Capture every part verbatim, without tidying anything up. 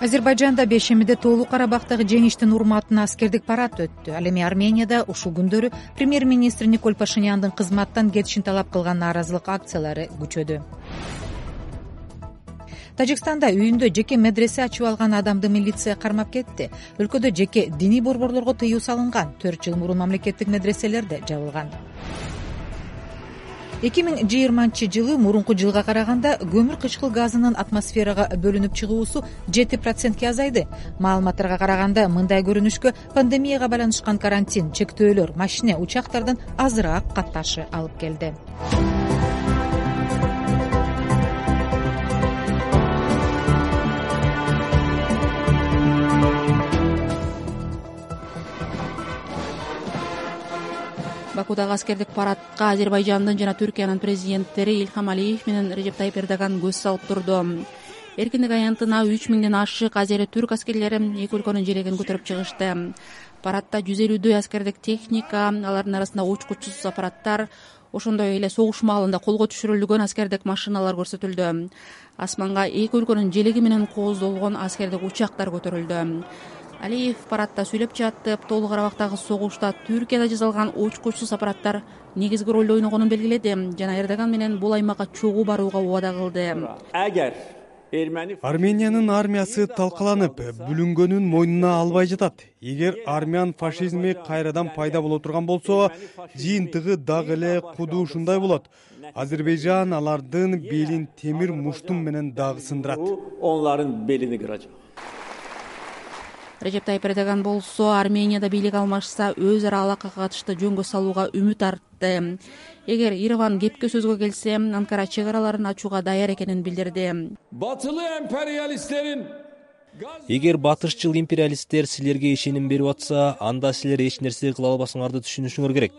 Азербайжанда бешемиде Тоолуу Карабактагы жеңиштин урматына аскердик парад өттү. Ал эми Арменияда ушул күндөрү премьер-министр Никол Пашиняндын кызматтан кетишин талап кылган нааразылык акциялары күчөдү. Тажикстанда үйүндө жеке медресе ачып алган адамды милиция кармап кетти. Өлкөдө жеке диний борборлорго тыюу салынган. төрт жыл мурун мамлекеттик медреселер да жабылган. эки миң жыйырманчы жылы мурунку жылга караганда көмүр кычкыл газынын атмосферага бөлүнүп чыгуусу жети процентке азайды. Маалыматтарга караганда мындай көрүнүшкө пандемияга байланышкан карантин, чектөөлөр, машине, учактардын азыраак катташы алып келди. Бакудагы аскердик парадка Азербайжандын жана Түркиянын президенттери Ильхам Алиев менен Режеп Тайип Эрдоган көз салып турду. Эркиндик аянтына үч миңден ашык азери-түрк аскерлери эки өлкөнүн желегин көтөрүп чыгышты. Парадда жүз элүүдөй аскердик техника, алардын арасында учкучсуз аппараттар, ошондой эле согуш маалында колго түшүрүлгөн аскердик машиналар көрсөтүлдү. Асманга эки өлкөнүн желеги менен кооздолгон аскердик учактар көтөрүлдү. Алиев парадда сүйлөп жатып, Тоолуу Карабактагы согушта Түркияда жасалган учкучсуз аппараттар негизги ролду ойногонун белгиледи жана Эрдоган менен бул аймакка чогуу барууга убада кылды. Армениянын армиясы талкаланып, бүлүнгөнүн мойнуна албай жатат. Эгер армян фашизми кайрадан пайда боло турган болсо, жыйынтыгы дагы эле куду ушундай болот. Азербайжан алардын белин темир муштум менен дагы сындырат. Onların belini kıracak. Режеп Тайип Эрдоган болсо Арменияда бийлик алмашса өз ара алакага катышты жөнгө салууга үмүт артты. Эгер Ереван кепке сөзгө келсе, Анкара чек араларын ачууга даяр экенин билдирди. Batılı emperyalistlerin Эгер батышчыл империалисттер силерге ишеним берип атса, анда силер эч нерсе кыла албасыңарды түшүнүшүңөр керек.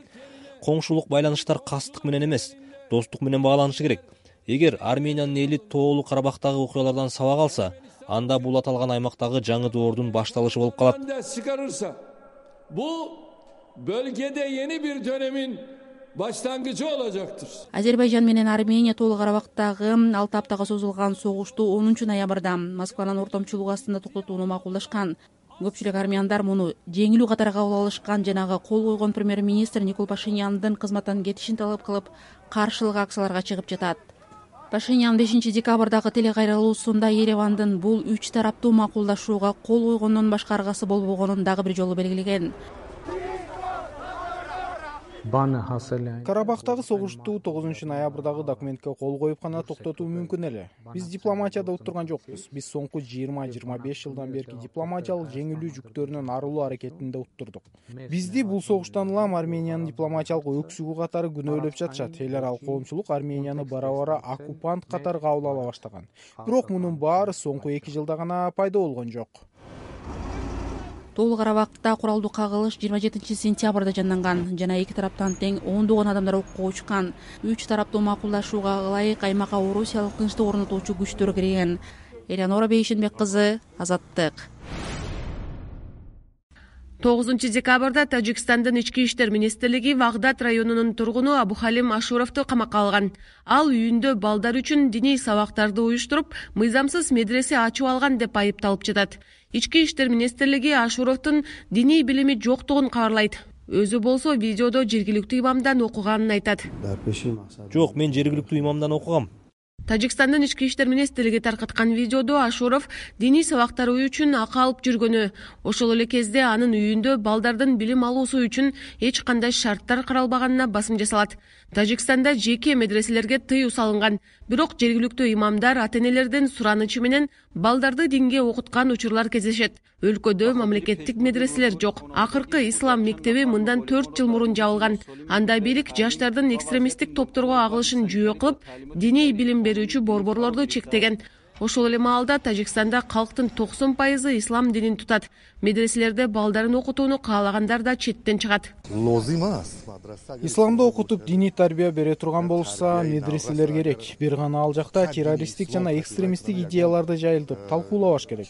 Коңшулук байланыштар кастык менен эмес, достук менен багланышы керек. Эгер Армениянын эли Тоолуу Карабактагы окуялардан сабак алса, анда бул аталган аймактагы жаңы доордун башталышы болуп калат. Bu bölgede yeni bir dönemin başlangıcı olacaktır. Азербайжан менен Армения Тоолуу Карабактагы алты аптага созулган согушту онунчу ноябрда Москванын ортомчулугу астында токтотууну макулдашкан. Көпчүлүк армяндар муну жеңилүү катары кабыл алышкан жанагы кол койгон премьер-министр Никол Пашиняндын кызматтан кетишин талап кылып, каршылык акцияларга чыгып жатат. Пашинян бешинчи декабрдагы телекайрылуусунда Еревандын бул үч тараптуу макулдашууга кол койгондон башка аргасы болбогонун дагы бир жолу белгилеген. Карабактагы согушту тогузунчу ноябрдагы документке кол коюп гана токтотуу мүмкүн эле. Биз дипломатияда уттурган жокпуз. Биз соңку жыйырма жыйырма беш жылдан берки дипломатиялык жеңилүү жүктөрүнөн арылуу аракетинде уттурдук. Бизди бул согуштан улам Армениянын дипломатиялык өксүгү катары күнөөлөп жатышат. Эл аралык коомчулук Арменияны бара-бара оккупант катары кабыл ала баштаган. Бирок мунун баары соңку эки жылда гана пайда болгон жок. Тоолуу Карабакта куралдуу кагылыш жыйырма жетинчи сентябрда жанданган жана эки тараптан тең ондогон адамдар окко учкан. Үч тараптуу макулдашууга ылайык аймакка орусиялык тынчтык орнотуучу күчтөр кирген. Элеонора Бейшенбек кызы, Азаттык. тогузунчу декабрда Тажикстандын ички иштер министрлиги Вагдат районунун тургуну Абухалим Ашуровду камакка алган. Ал үйүндө балдар үчүн диний сабактарды уюштуруп, мыйзамсыз медресе ачып алган деп айыпталып жатат. Ички иштер министрлиги Ашуровдун диний билими жоктугун кабарлайт. Өзү болсо видеодо жергиликтүү имамдан окуганын айтат. Жок, мен жергиликтүү имамдан окугам. Тажикстандын ички иштер министрлиги таркаткан видеодо Ашуров диний сабактар үчүн акы алып жүргөнү, ошол эле кезде анын үйүндө балдардын билим алуусу үчүн эч кандай шарттар каралбаганына басым жасалат. Тажикстанда жеке медреселерге тыюу салынган, бирок жергиликтүү имамдар ата-энелердин суранычы менен балдарды динге окуткан учурлар кездешет. Өлкөдө мамлекеттик медреселер жок. Акыркы ислам мектеби мындан төрт жыл мурун жабылган. Анда бийлик жаштардын экстремисттик топторго агылышын жүйө кылып, диний билим берүүчү борборлорду чектеген. Ошол эле маалда Тажикстанда калктын токсон пайызы ислам динин тутат. Медреселерде балдарын окутууну каалагандар да четтен чыгат. Исламды окутуп диний тарбия бере турган болушса, медреселер керек. Бир гана ал жакта террористтик жана экстремисттик идеяларды жайылтып, талкуулабаш керек.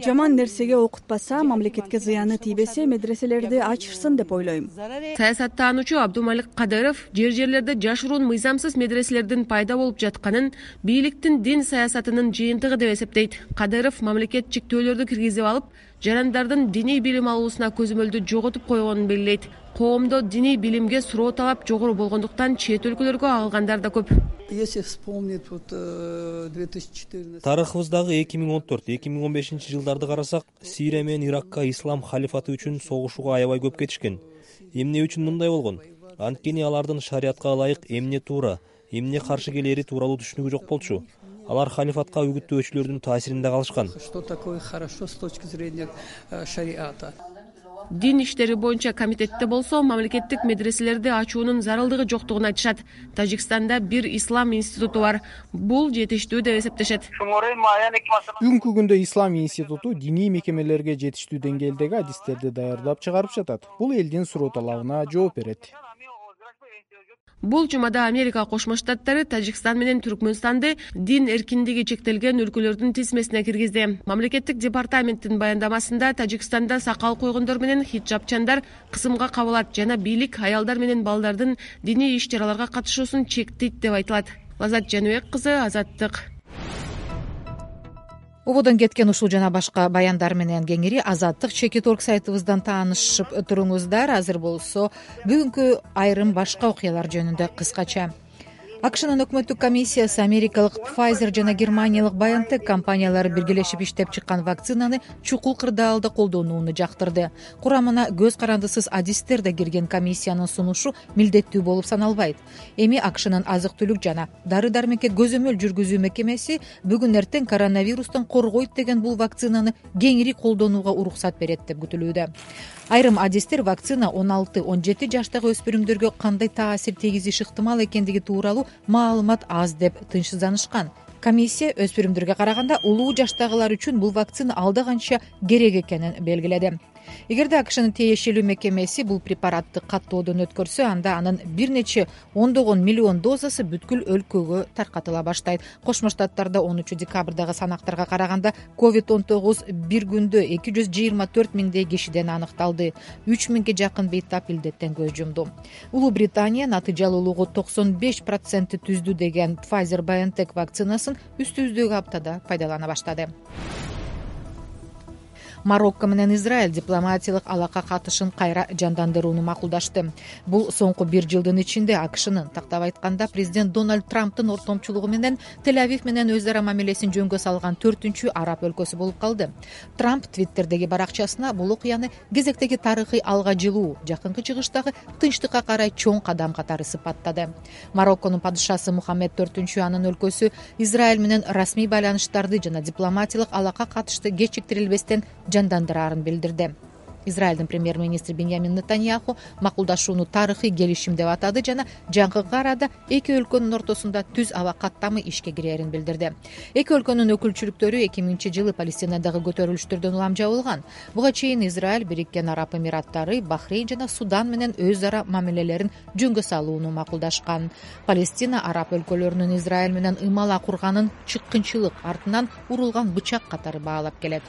Жаман нерсеге окутпаса, мамлекетке зыяны тийбесе, медреселерди ачышсын деп ойлойм. Саясаттануучу Абдумалик Кадыров жер жерлерде жашыруун мыйзамсыз медреселердин пайда болуп жатканын, бийликтин дин саясатынын жыйынтыгы деп эсептейт. Кадыров мамлекет чектөөлөрдү киргизип алып, жарандардын диний билим алуусуна көзөмөлдү жоготуп койгонун белгилейт. Коомдо диний билимге суроо талап жогору болгондуктан чет өлкөлөргө агылгандар да көп. Тарыхыбыздагы эки миң он төрт эки миң он бешинчи жылдарды карасак, Сирия менен Иракка ислам халифаты үчүн согушууга аябай көп кетишкен. Эмне үчүн мындай болгон? Анткени алардын шариатка ылайык эмне туура, эмне каршы келери тууралуу түшүнүгү жок болчу. Алар халифатка үгүттөөчүлөрдүн таасиринде калышкан. Дин иштери боюнча комитетте болсо мамлекеттик медреселерди ачуунун зарылдыгы жоктугун айтышат. Тажикстанда бир ислам институту бар. Бул жетиштүү деп эсептешет. Бүгүнкү күндө ислам институту диний мекемелерге жетиштүү деңгээлдеги адистерди даярдап чыгарып жатат. Бул элдин суроо талабына жооп берет. Бул жумада Америка Кошмо Штаттары Тажикстан менен Түркмөнстанды дин эркиндиги чектелген өлкөлөрдүн тизмесине киргизди. Мамлекеттик департаменттин баяндамасында Тажикстанда сакал койгондор менен хиджабчандар кысымга кабылат жана бийлик аялдар менен балдардын диний иш-чараларга катышуусун чектейт деп айтылат. Лазат Жаныбек кызы, Азаттык. Ободон кеткен ушул жана башка баяндар менен кеңири Азаттык чекит точка орг сайтыбыздан таанышып туруңуздар. Азыр болсо бүгүнкү айрым башка окуялар жөнүндө кыскача. АКШнын өкмөттүк комиссиясы америкалык Pfizer жана германиялык BioNTech компаниялары биргелешип иштеп чыккан вакцинаны чукул кырдаалда колдонууну жактырды. Курамына көз карандысыз адистер да кирген комиссиянын сунушу милдеттүү болуп саналбайт. Эми АКШнын азык-түлүк жана дары-дармекке көзөмөл жүргүзүү мекемеси бүгүн эртең коронавирустан коргойт деген бул вакцинаны кеңири колдонууга уруксат берет деп күтүлүүдө. Айрым адистер вакцина он алты он жети жаштагы өспүрүмдөргө кандай таасир тийгизиши ыктымал экендиги тууралуу маалымат аз деп тынчсызданышкан. Комиссия өспүрүмдөргө караганда улуу жаштагылар үчүн бул вакцина алда канча керек экенин белгиледи. Эгерде АКШнын тиешелүү мекемеси бул препаратты каттоодон өткөрсө, анда анын бир нече ондогон миллион дозасы бүткүл өлкөгө таркатыла баштайт. Кошмо Штаттарда онунчу декабрдагы санактарга караганда ковид он тогуз бир күндө эки жүз жыйырма төрт миңдей кишиден аныкталды. үч миңге жакын бейтап илдеттен көз жумду. Улуу Британия натыйжалуулугу токсон беш процент түздү деген Pfizer BioNTech вакцинасын үстүбүздөгү аптада пайдалана баштады. Марокко менен Израиль дипломатиялык алака катышын кайра жандандырууну макулдашты. Бул соңку бир жылдын ичинде АКШнын, тактап айтканда, президент Дональд Трамптын ортомчулугу менен Тель-Авив менен өз ара мамилесин жөнгө салган төртүнчү араб өлкөсү болуп калды. Трамп Твиттердеги баракчасына бул окуяны кезектеги тарыхый алга жылуу, жакынкы чыгыштагы тынчтыкка карай чоң кадам катары сыпаттады. Марокконун падышасы Мухаммед төртүнчү анын өлкөсү Израиль менен расмий байланыштарды жана дипломатиялык алака катышты кечиктирилбестен жандандырарын билдирди. Израилдин премьер-министри Беньямин Нетаньяху макулдашууну тарыхый келишим деп атады жана жакынкы арада эки өлкөнүн ортосунда түз аба каттамы ишке кирерин билдирди. Эки өлкөнүн өкүлчүлүктөрү эки миңинчи жылы Палестинадагы көтөрүлүштөрдөн улам жабылган. Буга чейин Израиль Бириккен Араб Эмираттары, Бахрейн жана Судан менен өз ара мамилелерин жөнгө салууну макулдашкан. Палестина араб өлкөлөрүнүн Израиль менен ымала курганын чыккынчылык артынан урулган бычак катары баалап келет.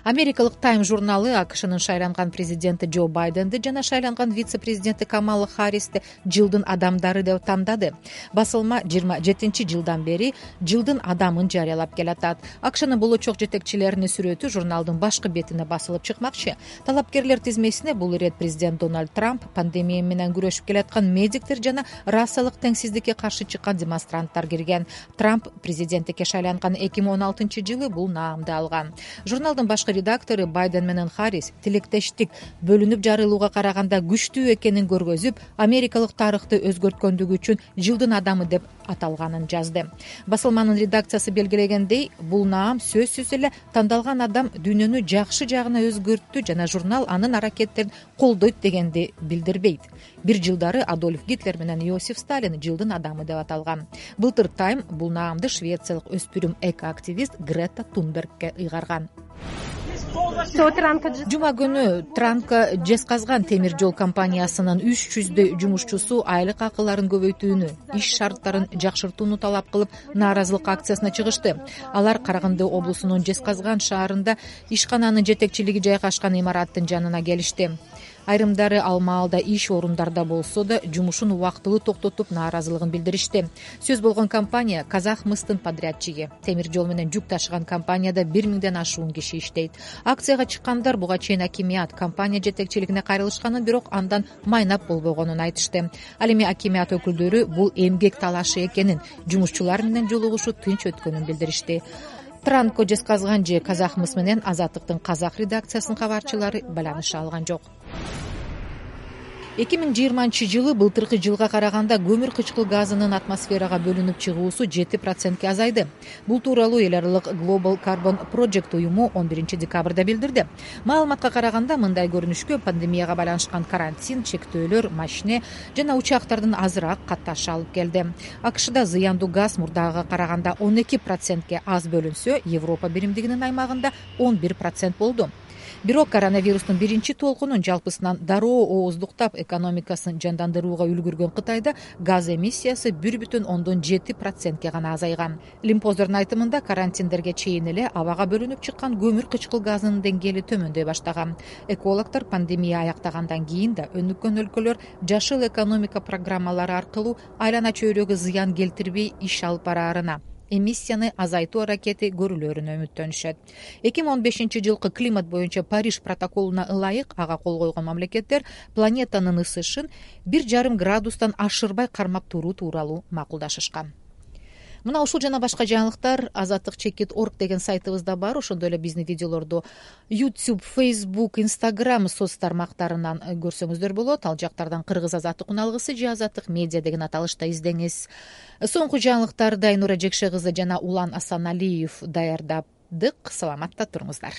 Америкалык Time журналы АКШнын шайланган президенти Джо Байденди жана шайланган вице-президенти Камала Харристи жылдын адамдары деп тандады. Басылма жыйырма жетинчи жылдан бери жылдын адамын жарыялап келатат. АКШнын болочок жетекчилеринин сүрөтү журналдын башкы бетине басылып чыкмакчы. Талапкерлер тизмесине бул ирет президент Дональд Трамп, пандемия менен күрөшүп келаткан медиктер жана расалык теңсиздикке каршы чыккан демонстранттар кирген. Трамп президенттикке шайланган эки миң он алтынчы жылы бул наамды алган. Журналдын башкы редактору Байден менен Харрис тилектештик бөлүнүп жарылууга караганда күчтүү экенин көргөзүп, америкалык тарыхты өзгөрткөндүгү үчүн жылдын адамы деп аталганын жазды. Басылманын редакциясы белгилегендей, бул наам сөзсүз эле тандалган адам дүйнөнү жакшы жагына өзгөрттү жана журнал анын аракеттерин колдойт дегенди билдирбейт. Бир жылдары Адольф Гитлер менен Иосиф Сталин жылдын адамы деп аталган. Былтыр Time бул наамды швециялык өспүрүм эко-активист Грета Тунбергке ыйгарган. Жума күнү Транка жезказган темир жол компаниясынын үч жүздөй жумушчусу айлык акыларын көбөйтүүнү, иш шарттарын жакшыртууну талап кылып нааразылык акциясына чыгышты. Алар Караганды облусунун Жезказган шаарында ишкананын жетекчилиги жайгашкан имараттын жанына келишти. Айрымдары ал маалда иш орундарда болсо да жумушун убактылуу токтотуп нааразылыгын билдиришти. Сөз болгон компания Казахмыстын подрядчиги. Темир жол менен жүк ташыган компанияда бир миңден ашуун киши иштейт. Акцияга чыккандар буга чейин акимият компания жетекчилигине кайрылышканын, бирок андан майнап болбогонун айтышты. Ал эми акимият өкүлдөрү бул эмгек талашы экенин, жумушчулар менен жолугушуу тынч өткөнүн билдиришти. Транко жесказган же Казахмыс менен Азаттыктын казак редакциясынын кабарчылары байланыша алган жок. эки миң жыйырманчы жылы былтыркы жылга караганда көмүр кычкыл газынын атмосферага бөлүнүп чыгуусу жети процентке азайды. Бул тууралуу эл аралык Global Carbon Project уюму он биринчи декабрда билдирди. Маалыматка караганда мындай көрүнүшкө пандемияга байланышкан карантин, чектөөлөр, машине жана учактардын азыраак катташы алып келди. АКШда зыяндуу газ мурдагыга караганда он эки процентке аз бөлүнсө, Европа биримдигинин аймагында он бир процент болду. Бирок коронавирустун биринчи толкунун жалпысынан дароо ооздуктап экономикасын жандандырууга үлгүргөн Кытайда газ эмиссиясы бир бүтүн ондон жети процентке гана азайган. Лимпоздордун айтымында карантиндерге чейин эле абага бөлүнүп чыккан көмүр кычкыл газынын деңгээли төмөндөй баштаган. Экологдор пандемия аяктагандан кийин да өнүккөн өлкөлөр жашыл экономика программалары аркылуу айлана чөйрөгө зыян келтирбей иш алып бараарына, эмиссияны азайтуу аракети көрүлөрүнө үмүттөнүшөт. эки миң он бешинчи жылкы климат боюнча Париж протоколуна ылайык ага кол койгон мамлекеттер планетанын ысышын бир жарым градустан ашырбай кармап туруу тууралуу макулдашышкан. Мына ушул жана башка жаңылыктар азаттык чекит точка орг деген сайтыбызда бар. Ошондой эле биздин видеолорду YouTube, Facebook, Instagram соц тармактарынан көрсөңүздөр болот. Ал жактардан Кыргыз азаттык уналгысы же азаттык медиа деген аталышта издеңиз. Соңку жаңылыктарды Айнура Жекше кызы жана Улан Асаналиев даярдадык. Саламатта туруңуздар.